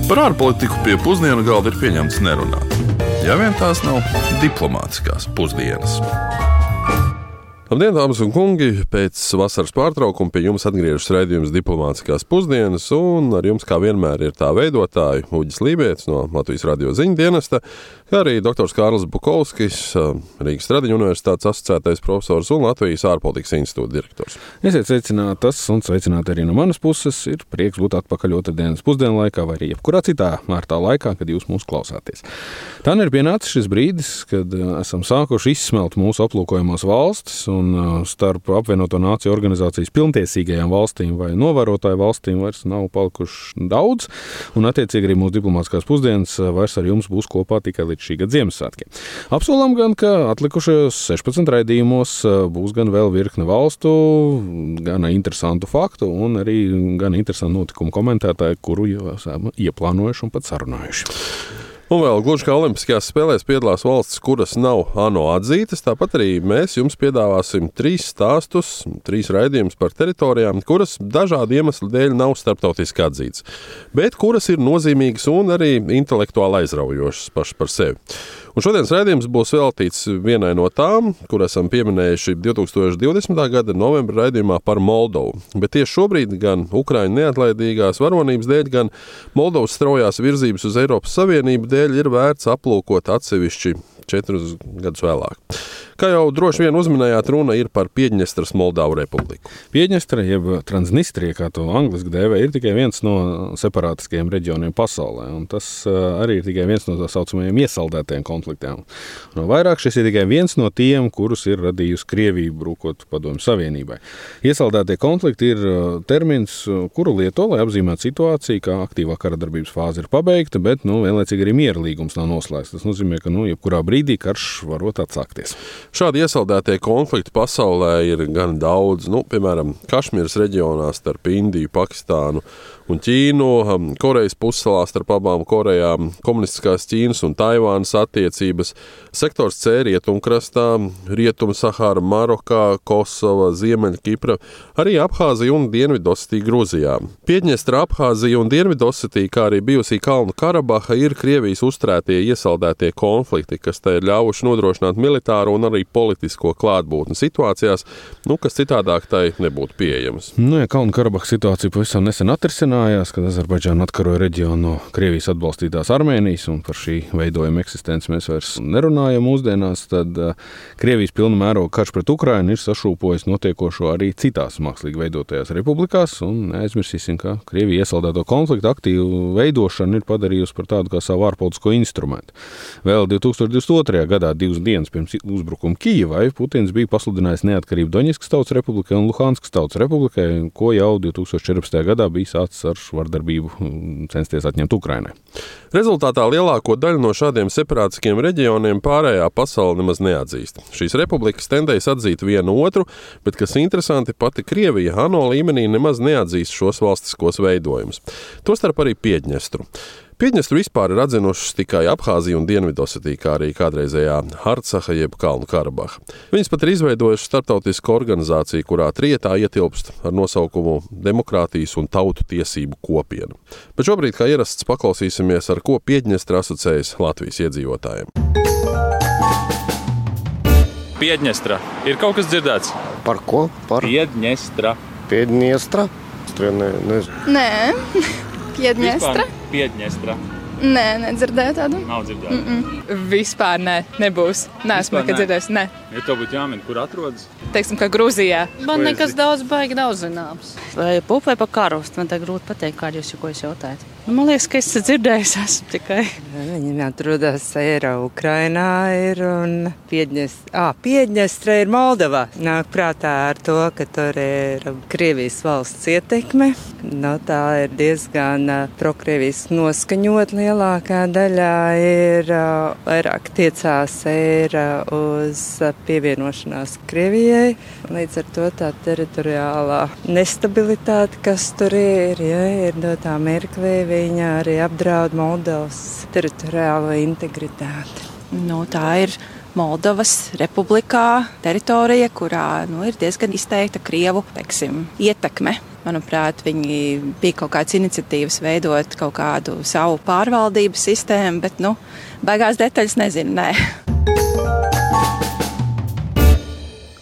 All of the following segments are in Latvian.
Par ārpolitiku pie pusdienu galda ir pieņemts nerunāt. Ja vien tās nav diplomātiskās pusdienas. Labdien, dāmas un kungi! Pēc vasaras pārtraukuma pie jums atgriežas raidījums Diplomātiskās pusdienas, un ar jums, kā vienmēr, ir tā veidotāji Uģis Lībietis no Latvijas radio ziņu dienesta, kā arī doktors Kārlis Bukovskis, Rīgas Stradiņu universitātes asociētais profesors un Latvijas ārpolitikas institūta direktors. Esiet sveicinātas un sveicināti arī no manas puses. Ir prieks būt atpakaļ otrdienas pusdienu laikā vai arī jebkurā citā ārtā laikā, kad jūs mūs klausāties. Tā ir pienācis šis brīdis, kad esam sākuši izsmelt mūsu aplūkojumās valstis, un starp apvienoto nāciju organizācijas pilntiesīgajām valstīm vai novērotāju valstīm vairs nav palikuši daudz, un attiecīgi arī mūsu diplomātiskās pusdienas vairs ar jums būs kopā tikai līdz šī gada Ziemassvētkiem. Apsolam gan, ka atlikušajos 16 raidījumos būs gan vēl virkne valstu, gan interesantu faktu un arī gan interesantu notikumu komentētāju, kuru jau esam ieplānojuši un pat sarunājuši. Un vēl gluži kā Olimpiskajās spēlēs piedalās valstis, kuras nav ANO atzītas, tāpat arī mēs jums piedāvāsim 3 stāstus, 3 raidījumus par teritorijām, kuras dažādu iemeslu dēļ nav starptautiski atzītas, bet kuras ir nozīmīgas un arī intelektuāli aizraujošas paši par sevi. Un šodienas raidījums būs veltīts vienai no tām, kur esam pieminējuši 2020. gada novembra raidījumā par Moldovu. Bet tieši šobrīd gan Ukraiņu neatlaidīgās varonības dēļ, gan Moldovas straujās virzības uz Eiropas Savienību dēļ ir vērts aplūkot atsevišķi 4 gadus vēlāk. Kā jau droši vien uzminējāt, runa ir par Piedņestras Moldavu republiku. Piedņestra, jeb Transnistrija, kā to angliski dēvē, ir tikai viens no separātiskajiem reģioniem pasaulē, un tas arī ir tikai viens no tā saucamajiem iesaldētajiem konfliktiem. Un vairāk šis ir tikai viens no tiem, kurus ir radījusi Krievija brūkot Padomju Savienībai. Iesaldētie konflikti ir termins, kuru lieto, lai apzīmētu situāciju, kā aktīvā kara darbības fāze ir pabeigta, bet vienlaicīgi arī miera līgums nav noslēgts. Tas nozīmē, ka jebkurā brīdī karš varot atsākties. Šādi iesaldētie konflikti pasaulē ir gan daudz, piemēram, Kašmīras reģionā starp Indiju, Pakistānu un Ķīnu, Korejas pussalā starp abām Korejām, komunistiskās Ķīnas un Taivānas attiecības, sektors C rietumkrastā, Rietum-Sahara, Marokā, Kosova, Ziemeļkipra, arī Abhāzija un Dienvidosetija Gruzijā. Piedņestra, Abhāzija un Dienvidosetija, kā arī bijusī Kalnu Karabaha, ir Krievijas uzturētie iesaldētie konflikti, kas te ir ļāvuši nodrošināt militāru un arī politisko klātbūtni situācijās, kas citādāk tai nebūtu pieejamas. Ja Kalnu Karabahas situācija pavisam nesen atrisinājās, kad Azerbaidžāna atkaroja reģionu no Krievijas atbalstītās Armēnijas, un par šī veidojuma eksistenci mēs vairs nerunājam mūsdienās, tad Krievijas pilna mēroga karš pret Ukrainu ir sašūpojis notiekošo arī citās mākslīgi veidotajās republikās, un neaizmirsīsim, ka Krievija iesaldēto konfliktu aktīvu veidošanu ir padarījusi par tādu kā savu ārpolitisko instrumentu. Vēl 2022. gadā, 2 dienas pirms uzbrukuma Kijevai, Putins bija pasludinājis neatkarību Doņetskas Tautas Republikai un Luhanskas Tautas Republikai, ko jau 2014. gadā bija sācis ar vardarbību censties atņemt Ukrainai. Rezultātā lielāko daļu no šādiem separātiskiem reģioniem pārējā pasaule nemaz neatzīst. Šīs republikas tendējas atzīt vienu otru, bet, kas interesanti, pati Krievija ANO līmenī nemaz neatzīst šos valstiskos veidojumus. Tostarp arī Piedņestru. Piedņestru vispār ir atzinušas tikai Abhāzija un Dienvidosetija, kā arī kādreizējā Artsaha jeb Kalnu Karabaha. Viņas pat ir izveidojušas starptautisku organizāciju, kurā trietā ietilpst ar nosaukumu Demokrātijas un tautu tiesību kopiena. Bet šobrīd, kā ierasts, paklausīsimies, ar ko Piedņestra asociējas Latvijas iedzīvotājiem. Piedņestra. Ir kaut kas dzirdēts? Par ko? Par Piedņestra. Piedņestra? Nē. Piedņestra? Piedņestra. Nē, nedzirdēju tādu. Nav dzirdēju. Vispār nebūs. Neesmu nekad dzirdējis. Nē. Ja tev būtu jāmin, kur atrodas? Teiksim, ka Grūzijā. Man nekas baigi daudz zināms. Vai pup vai pa karostu, man tā grūti pateikt, kā jūs jautājat. Man liekas, ka es dzirdējis esmu tikai. Viņam atrodas Ukrainā ir un Piedņestra ir Moldovā. Nāk prātā ar to, ka tur ir Krievijas valsts ietekme. Tā ir diezgan prokrievijas noskaņot. Lielākā daļā ir vairāk tiecās uz pievienošanās Krievijai. Līdz ar to tā teritoriālā nestabilitāte, kas tur ir dotā mirklī, viņa arī apdraud Moldovas teritoriālo integritāti. Tā ir Moldovas republikā teritorija, kurā ir diezgan izteikta Krievu, ietekme. Manuprāt, viņi bija kaut kādas iniciatīvas veidot kaut kādu savu pārvaldības sistēmu, bet, beigās detaļas nezinu, nē.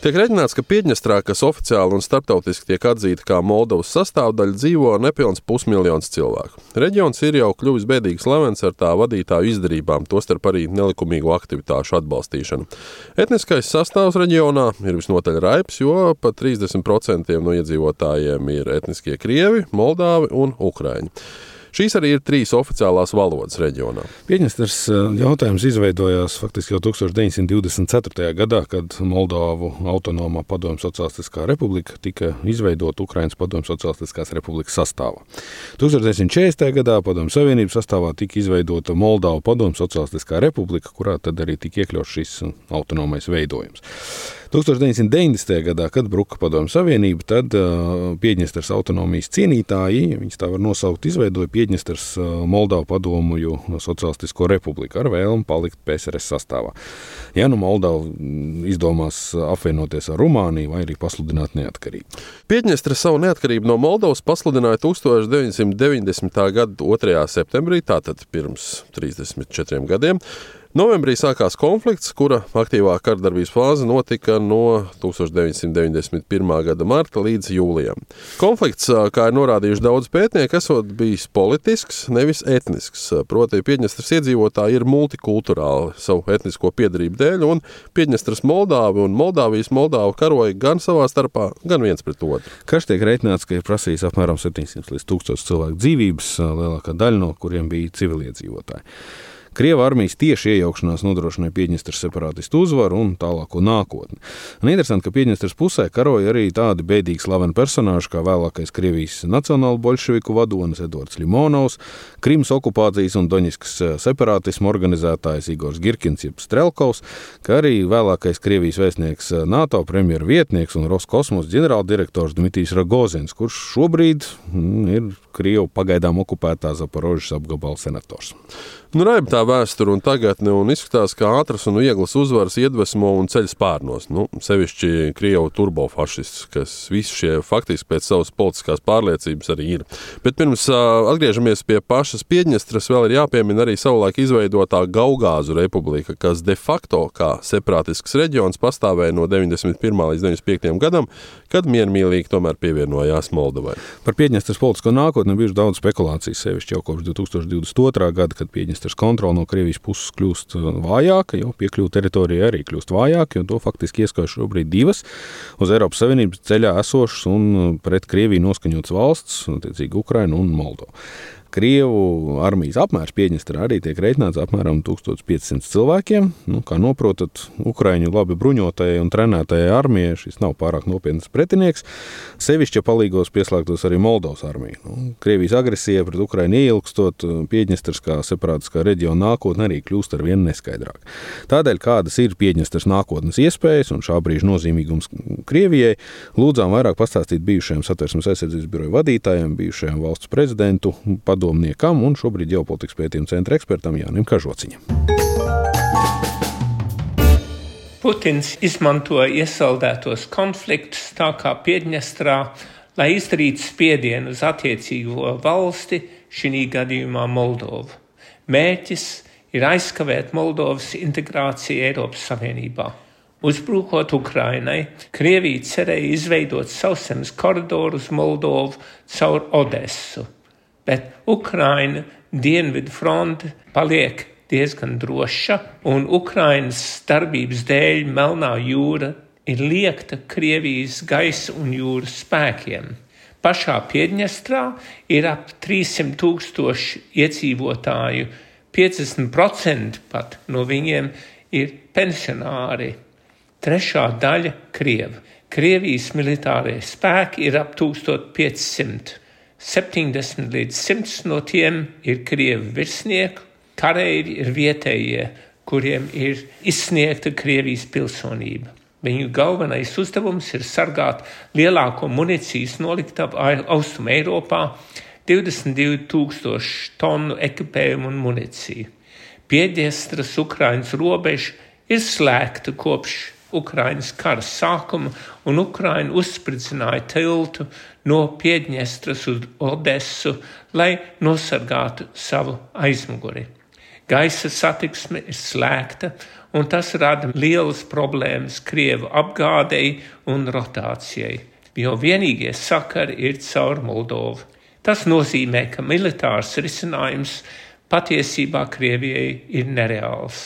Tiek rēķināts, ka Piedņestrā, kas oficiāli un starptautiski tiek atzīta kā Moldovas sastāvdaļa, dzīvo nepilns 500 000 cilvēku. Reģions ir jau kļuvis bēdīgi slavens ar tā vadītāju izdarībām, tostarp arī nelikumīgu aktivitāšu atbalstīšanu. Etniskais sastāvs reģionā ir visnotaļ raips, jo pat 30% no iedzīvotājiem ir etniskie krievi, moldāvi un ukraiņi. Šīs arī ir 3 oficiālās valodas reģionā. Piedņestras jautājums izveidojās faktiski jau 1924. gadā, kad Moldovu autonomā Padomju Socialistiskā republika tika izveidota Ukrainas Padomju Socialistiskās republikas sastāvā. 1940. gadā Padomju Savienības sastāvā tika izveidota Moldovu Padomju Socialistiskā republika, kurā tad arī tika iekļauts šis autonomais veidojums. 1990. gadā, kad bruka Padomju Savienība, tad Piedņestras autonomijas cienītāji, viņas tā var nosaukt, izveidoja Piedņestras Moldovu Padomju Socialistisko republiku ar vēlmu palikt PSRS sastāvā. Ja Moldova izdomās apvienoties ar Rumāniju vai arī pasludināt neatkarību. Piedņestra savu neatkarību no Moldovas pasludināja 1990. gada 2. septembrī, tātad pirms 34 gadiem. Novembrī sākās konflikts, kura aktīvā kardarbības fāze notika no 1991. gada marta līdz jūlijam. Konflikts, kā ir norādījuši daudz pētnieku, esot bijis politisks, nevis etnisks. Proti, Piedņestras iedzīvotāji ir multikulturāli savu etnisko piedarību dēļ, un Piedņestras Moldāvi un Moldāvijas Moldāvu karoja gan savā starpā, gan viens pret otru. Karš tiek rēķināts, ka ir prasījis apmēram 700 līdz 1000 cilvēku dzīvības, lielākā daļa no kuriem bija civiliedzīvotāji. Krieva armijas tieši iejaukšanās nodrošināja Piedņestras separātistu uzvaru un tālāko nākotni. Un interesanti, ka Piedņestras pusē karoja arī tādi bēdīgi slaveni personāži, kā vēlākais Krievijas nacionālu bolševiku vadonis Edvards Ļimonovs, Krimas okupācijas un Doņiskas separātismu organizētājs Igors Girkins jeb Strelkovs, kā arī vēlākais Krievijas vēstnieks NATO premjera vietnieks un Roskosmos ģenerāldirektors Dmitrijs Rogozins, kurš šobrīd ir Krievu pagaidām okupētā Zaporožas apgabala senators. Raiba tā vēsture un tagadne un izskatās, ka ātras un vieglas uzvaras iedvesmo un ceļ spārnos. Sevišķi Krievu turbofašists, kas visi šie faktiski pēc savas politiskās pārliecības arī ir. Bet pirms atgriežamies pie pašas Piedņestras, vēl ir jāpiemina arī savulaik izveidotā Gaugāzu republika, kas de facto kā separātisks reģions pastāvēja no 91. līdz 95. gadam, kad miermīlīgi tomēr pievienojās Moldovai. Par Piedņestras politisko nākotni bijuši daudz spekulācijas, sevišķi jau kopš 2022. gada, kad Piedņestras kontrole no Krievijas puses kļūst vājāka, jo piekļuva teritorijai arī kļūst vājāka, jo to faktiski ieskauj šobrīd 2 uz Eiropas Savienības ceļā esošas un pret Krieviju noskaņotas valsts, attiecīgi Ukraina un Moldova. Krievu armijas apmērs Piedņestrā arī tiek rēķināts apmēram 1500 cilvēkiem. Kā noprotat, Ukraiņu labi bruņotajai un trenētajai armijai šis nav pārāk nopietns pretinieks. Sevišķi palīgos pieslēgtos arī Moldovas armija. Krievijas agresija pret Ukrainu ieilgstot, Piedņestras kā separātiskā reģiona nākotne arī kļūst ar vien neskaidrāk. Tādēļ, kādas ir Piedņestras nākotnes iespējas un šā brīža nozīmīgums Krievijai, lūdzām vairāk pastāstīt bijušajiem Satversmes aizsardzības biroja vadītājiem, bijušajiem valsts prezidentu, padomniekam un šobrīd ģeopolitikas pētījuma centra ekspertam Jānim Kažociņam. Putins izmantoja iesaldētos konfliktus tā kā Piedņestrā, lai izdarītu spiedienu uz attiecīgo valsti, šī gadījumā Moldovu. Mērķis ir aizkavēt Moldovas integrāciju Eiropas Savienībā. Uzbrukot Ukrainai, Krievija cerēja izveidot sauszemes koridoru uz Moldovu caur Odesu. Bet Ukraina dienvidu fronte paliek diezgan droša, un Ukrainas darbības dēļ Melnā jūra ir liekta Krievijas gaisa un jūras spēkiem. Pašā Piedņestrā ir ap 300,000 iedzīvotāju, 50% pat no viņiem ir pensionāri. Trešā daļa Krievi. Krievijas militārie spēki ir ap 1500. 70 līdz 100 no tiem ir Krievu virsnieki, kareivji ir vietējie, kuriem ir izsniegta Krievijas pilsonība. Viņu galvenais uzdevums ir sargāt lielāko municijas noliktavu Austrum Eiropā, 22,000 tonu ekipējumu un municiju. Piedņestras Ukrainas robeža ir slēgta kopš Ukrainas kara sākuma, un Ukraina uzspridzināja tiltu no Piedņestras uz Odesu, lai nosargātu savu aizmuguri. Gaisa satiksme ir slēgta, un tas rada lielas problēmas Krievu apgādei un rotācijai, jo vienīgie sakari ir caur Moldovu. Tas nozīmē, ka militārs risinājums patiesībā Krievijai ir nereāls.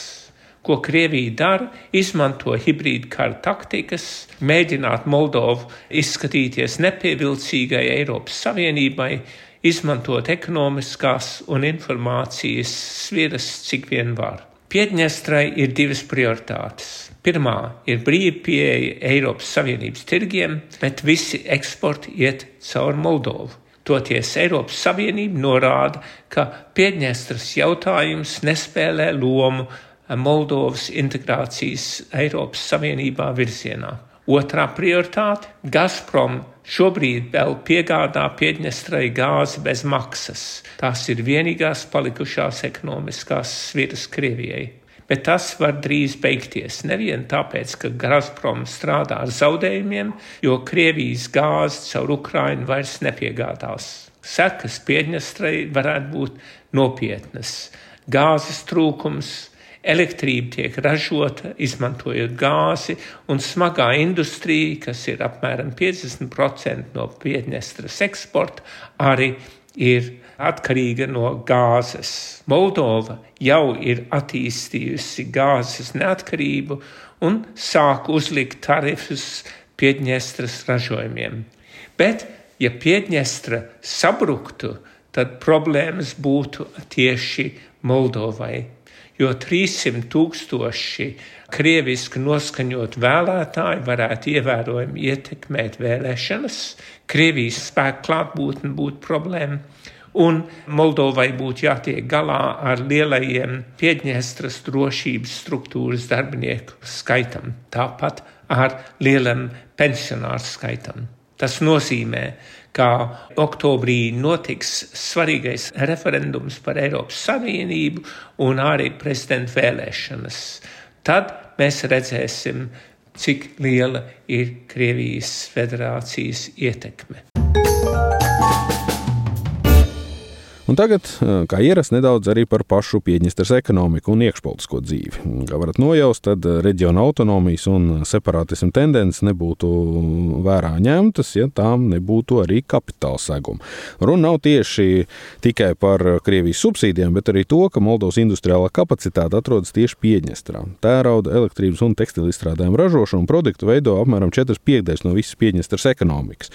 Ko Krievija dara, izmanto hibrīdu kara taktikas, mēģināt Moldovu izskatīties nepievilcīgai Eiropas Savienībai, izmantot ekonomiskās un informācijas sviras, cik vien var. Piedņestrai ir divas prioritātes. Pirmā ir brīva pieeja Eiropas Savienības tirgiem, bet visi eksporti iet caur Moldovu. Toties Eiropas Savienība norāda, ka Piedņestras jautājums nespēlē lomu Moldovas integrācijas Eiropas Savienībā virzienā. Otrā prioritāte – Gazprom šobrīd vēl piegādā Piedņestrai gāzi bez maksas. Tās ir vienīgās palikušās ekonomiskās sviras Krievijai. Bet tas var drīz beigties, nevien tāpēc, ka Gazprom strādā ar zaudējumiem, jo Krievijas gāzi caur Ukrainu vairs nepiegādās. Sekas Piedņestrai varētu būt nopietnas. Gāzes trūkums, elektrība tiek ražota, izmantojot gāzi, un smagā industrija, kas ir apmēram 50% no Piedņestras eksporta, arī ir atkarīga no gāzes. Moldova jau ir attīstījusi gāzes neatkarību un sāk uzlikt tarifus Piedņestras ražojumiem. Bet, ja Piedņestra sabruktu, tad problēmas būtu tieši Moldovai, jo 300,000 krieviski noskaņot vēlētāji varētu ievērojami ietekmēt vēlēšanas, Krievijas spēku klātbūtne būtu problēma, un Moldovai būtu jātiek galā ar lielajiem Piedņestras drošības struktūras darbinieku skaitam, tāpat ar lielam pensionāru skaitam. Tas nozīmē, ka oktobrī notiks svarīgais referendums par Eiropas Savienību un arī prezidenta vēlēšanas. Tad mēs redzēsim, cik liela ir Krievijas federācijas ietekme. Un tagad, kā ierasts, nedaudz arī par pašu Piedņestras ekonomiku un iekšpolitisko dzīvi. Kā varat nojaust, tad reģiona autonomijas un separātismu tendences nebūtu vērā ņemtas, ja tām nebūtu arī kapitāla seguma. Runa nav tieši tikai par Krievijas subsīdiem, bet arī to, ka Moldovas industriālā kapacitāte atrodas tieši Piedņestrā. Tērauda, elektrības un tekstilu izstrādājumu ražošanu un produktu veido apmēram 4/5 no visas Piedņestras ekonomikas.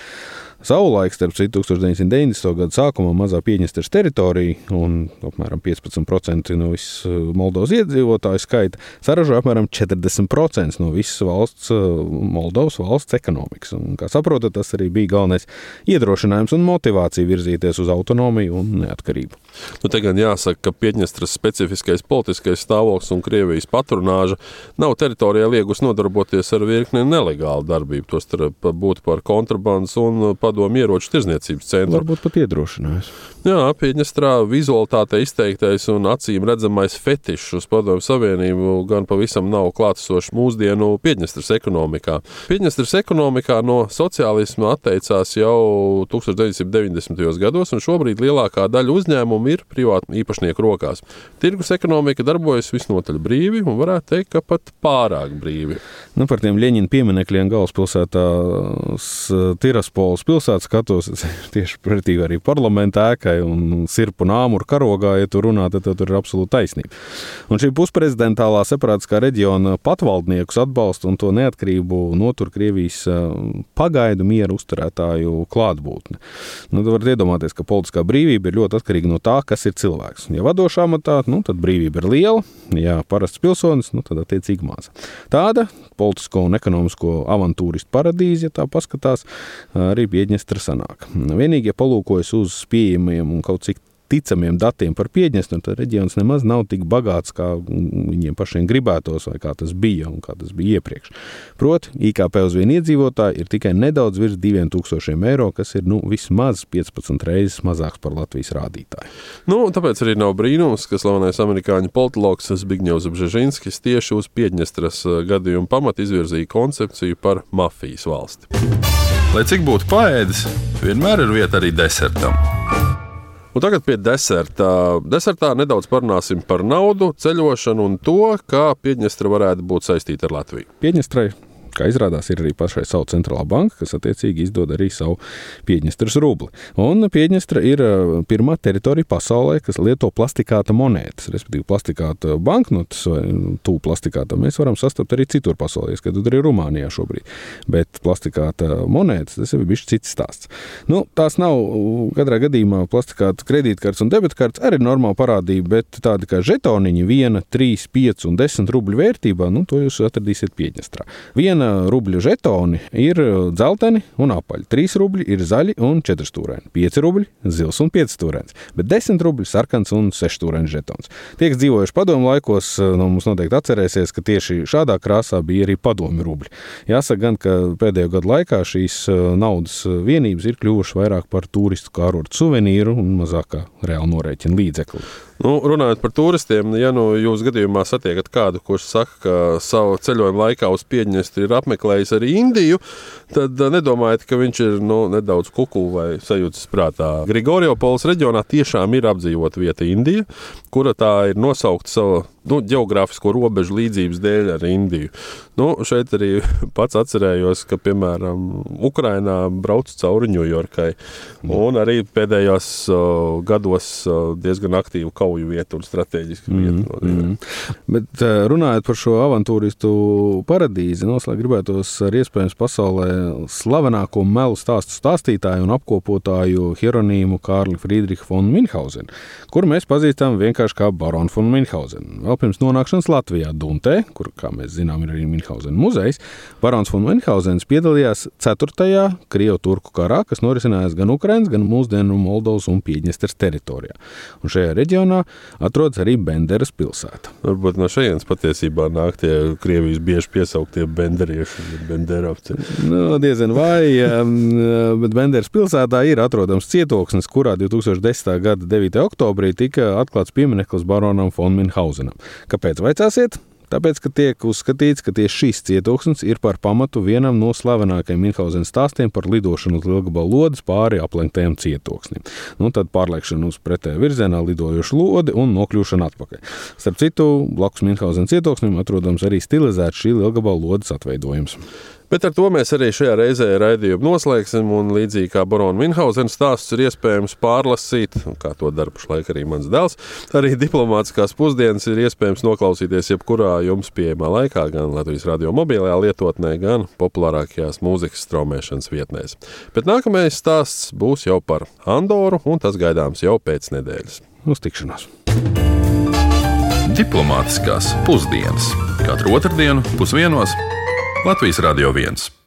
Savulaik, starp 1990. gadu sākumā mazā Piedņestras teritorija un apmēram 15% no visas Moldovas iedzīvotāju skaita saražoja apmēram 40% no visas Moldovas valsts ekonomikas. Un, kā saprotat, tas arī bija galvenais iedrošinājums un motivācija virzīties uz autonomiju un neatkarību. Te gan jāsaka, ka Piedņestras specifiskais politiskais stāvoklis un Krievijas patronāža nav teritorijā liegus nodarboties ar virkni nelegālu darbību, tostarp būt par kontrabandas un padomu ieroču tirzniecības centru. Varbūt pat iedrošinājums. Jā, Piedņestrā vizualitāte izteiktais un acīm redzamais fetišs uz Padomu Savienību gan pavisam nav klātesošs mūsdienu Piedņestras ekonomikā. Piedņestras ekonomikā no sociālisma atteicās jau 1990. gados, un šobrīd lielākā daļa uzņēmumu ir privātu īpašnieku rokās. Tirgus ekonomika darbojas visnotaļ brīvi un varētu teikt, ka pat pārāk brīvi. Par tiem Ļeņina pieminekļiem galvaspilsētā Tiraspoles pilsētas skatos tieši pretī arī parlamenta ēkai un sirpu nāmuru karogā, ja tu runā, tad tur ir absolūti taisnība. Un šī pusprezidentālā separātiskā reģiona patvaldniekus atbalsta un to neatkarību notur Krievijas pagaidu mieru uzturētāju klātbūtne. Tu varat iedomāties, ka politiskā brīvība ir ļoti atkarīga no tā, kas ir cilvēks. Ja vadošā amatā, tad brīvība ir liela, ja parasts pilsonis, tad attiecīgi maza. Tāda politisko un ekonomisko avantūristu paradīze, ja tā paskatās, arī Piedņestra sanāk. Vienīgi, ja palūkojas uz pieejamiem un kaut cik ticamiem datiem par Piedņestru, tad reģions nemaz nav tik bagāts, kā viņiem pašiem gribētos, vai kā tas bija un kā tas bija iepriekš. Proti, IKP uz vienu iedzīvotāju ir tikai nedaudz virs 2000 eiro, kas ir vismaz 15 reizes mazāks par Latvijas rādītāju. Tāpēc arī nav brīnums, ka slavenais amerikāņu politologs Zbigņevs Bžežinskis tieši uz Piedņestras gadījumu pamatu izvirzīja koncepciju par mafijas valsti. Lai cik būtu paēdis, vienmēr ir vieta arī desertam. Un tagad pie deserta. Desertā nedaudz parunāsim par naudu, ceļošanu un to, kā Piedņestra varētu būt saistīta ar Latviju. Piedņestrai, kā izrādās, ir arī pašai savu centrālā banka, kas attiecīgi izdod arī savu Piedņestras rubli. Un Piedņestra ir pirmā teritorija pasaulē, kas lieto plastikāta monētas, respektīvi plastikāta banknotes vai tū plastikāta. Mēs varam sastapt arī citur pasaulē, skatot arī Rumānijā šobrīd. Bet plastikāta monētas, tas ir bišķi cits stāsts. Tās nav katrā gadījumā plastikāta kredītkartes un debitkartes, arī normāla parādība, bet tādi kā žetoniņi 1, 3, 5 un 10 rubļu vērtībā, to jūs atradīsiet Piedņestrā. 1 rubļu žetoni ir dzelteni un apaļi, 3 rubļi ir zaļi un 4 stūraini, 5 rubļi zils un 5 stūrains, bet 10 rubļi sarkans un 6 stūrains žetons. Tie, kas dzīvojuši padomu laikos, mums noteikti atcerēsies, ka tieši šādā krāsā bija arī padomi rubļi. Jāsaka gan, ka pēdējo gadu laikā šīs naudas vienības ir kļuvušas vairāk par turistu kārortu suvenīru un mazāk kā reāli norēķina līdzekli. Runājot par turistiem, ja jūs gadījumā satiekat kādu, kurš saka, ka savu ceļojumu laikā uz Piedņestru ir apmeklējis arī Indiju, tad nedomājiet, ka viņš ir nedaudz kuku vai sajūtas prātā. Grigoriopolis reģionā tiešām ir apdzīvota vieta Indija, kura tā ir nosaukta savu ģeogrāfisko robežu līdzības dēļ ar Indiju. Šeit arī pats atcerējos, ka, piemēram, Ukrainā braucu cauri Ņujorkai un arī pēdējos gados diezgan aktīvu kauju vietu un strateģisku vietu. Bet runājot par šo avantūristu paradīzi, noslēgt gribētos ar iespējams pasaulē slavenāko melu stāstu stāstītāju un apkopotāju Hieronīmu Kārli Friedrihu von Minhausenu, kuru mēs pazīstam vienkārši kā baronu von Minhausenu. Vēl pirms nonākšanas Latvijā Duntē, kur, kā mēs zinām, ir arī Minhausena muzejs, barons von Minhausens piedalījās 4. Krievu-turku karā, kas norisinājās gan Ukrainas, gan mūsdienu Moldovas un Piedņestras teritorijā. Un šajā reģionā atrodas arī Benderas pilsēta. Varbūt no šejienes patiesībā nāk tie Krievijas bieži piesauktie benderieši, benderovci. Diezgan vai, bet Benderas pilsētā ir atrodams cietoksnis, kurā 2010. gada 9. oktobrī tika atklāts piemineklis baronam von Minhausenam. Kāpēc vaicāsiet? Tāpēc, ka tiek uzskatīts, ka tieši šīs cietoksnis ir par pamatu vienam no slavenākajiem Minhausena stāstiem par lidošanu uz Lielgabalu lodes pāri aplenktajam cietoksnim. Tad pārliekšana uz pretējā virzienā lidojošu lodi un nokļūšana atpakaļ. Starp citu, blakus Minhausena cietoksnim atrodams arī stilizēts šī Lielgabalu lodes atveidojums. Bet ar to mēs arī šajā reizē raidījumu noslēgsim, un līdzīgi kā barona Minhausena stāsts ir iespējams pārlasīt, kā to dara pašlaik arī mans dēls, arī diplomātiskās pusdienas ir iespējams noklausīties jebkurā jums pieejamā laikā, gan Latvijas radio mobilajā lietotnē, gan populārākajās mūzikas straumēšanas vietnēs. Bet nākamais stāsts būs jau par Andoru, un tas gaidāms jau pēc nedēļas. Uz tikšanos! Diplomātiskās pusdienas. Katru otrdienu 12:00 Latvijas Radio 1.